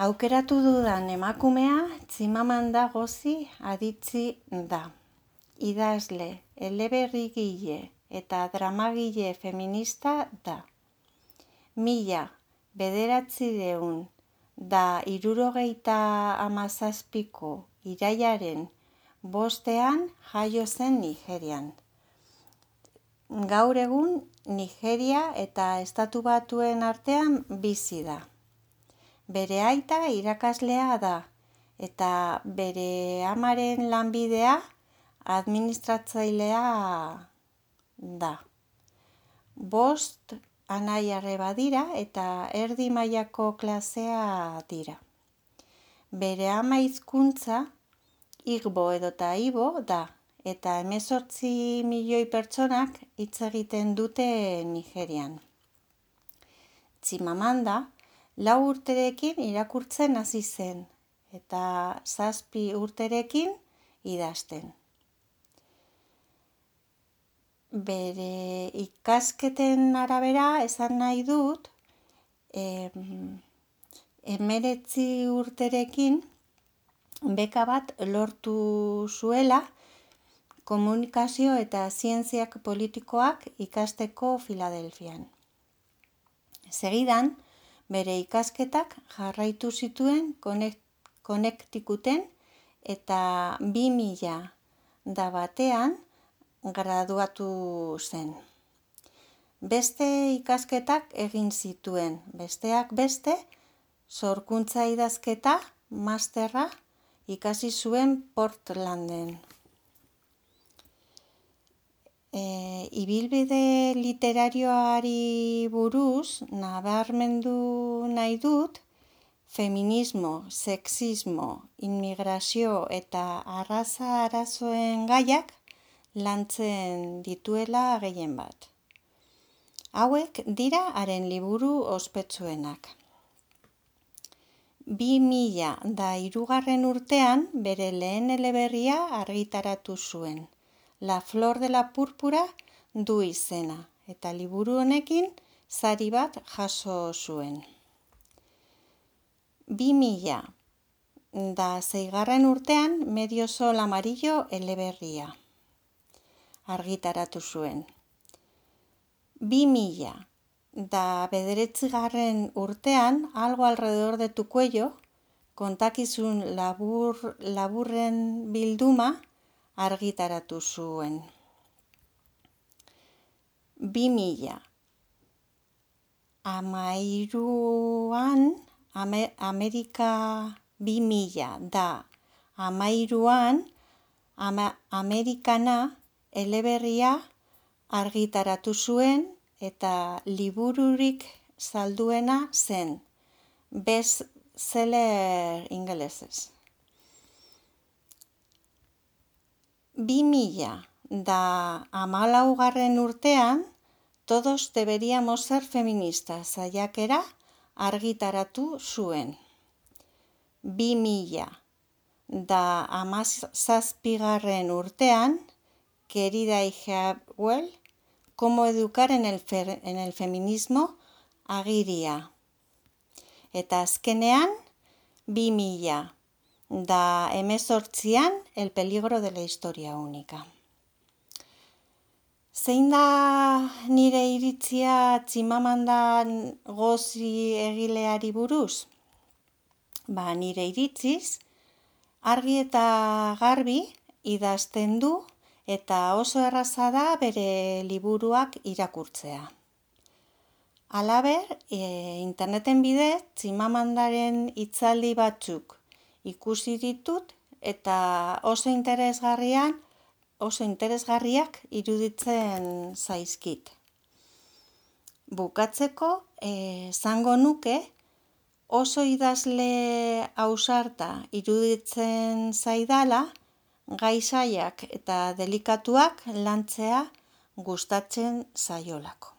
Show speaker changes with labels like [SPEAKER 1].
[SPEAKER 1] Aukeratu dudan emakumea Tximamanda Ngozi Adichie da. Idazle, eleberrigile eta dramagile feminista da. 1967ko irailaren 5 jaio zen Nigerian. Gaur egun Nigeria eta Estatu Batuen artean bizi da. Bere aita irakaslea da eta bere amaren lanbidea administratzailea da. 5 anai-arreba dira eta erdi mailako klasea dira. Bere ama hizkuntza Igbo edota Ibo da eta 18 milioi pertsonak hitz egiten dute Nigerian. Tximamanda 4 urterekin irakurtzen hasi zen eta 7 urterekin idazten. Bere ikasketen arabera esan nahi dut, 19 urterekin beka bat lortu zuela komunikazio eta zientziak politikoak ikasteko Filadelfian. Segidan, bere ikasketak jarraitu zituen Connecticuten eta 2001 graduatu zen. Beste ikasketak egin zituen, besteak beste, sorkuntza idazketa, masterra ikasi zuen Portlanden. Ibilbide literarioari buruz nabarmendu nahi dut, feminismo, sexismo, inmigrazio eta arraza arazoen gaiak lantzen dituela gehien bat. Hauek dira haren liburu ospetsuenak. 2003 urtean bere lehen eleberria argitaratu zuen. La Flor de la Púrpura du izena eta liburu honekin sari bat jaso zuen. 2006 urtean Medio Sol Amarillo eleberria argitaratu zuen. 2009 urtean Algo alrededor de tu cuello kontakizun laburren bilduma argitaratu zuen. 2013an Amerikana eleberria argitaratu zuen eta libururik salduena zen, bestseller ingelesez. 2014 urtean Todos deberíamos ser feministas saiakera argitaratu zuen. 2017 urtean Querida hija Well, cómo educar en el feminismo agiria. Eta azkenean 2018an El peligro de la historia única. Zein da nire iritzia Tximamanda Ngozi egileari buruz? Nire iritziz, argi eta garbi idazten du eta oso erraza da bere liburuak irakurtzea. Halaber, interneten bidez Tximamandaren hitzaldi batzuk ikusi ditut eta oso interesgarriak iruditzen zaizkit. Bukatzeko, esango nuke oso idazle ausarta iruditzen zaidala, gai zailak eta delikatuak lantzea gustatzen zaiolako.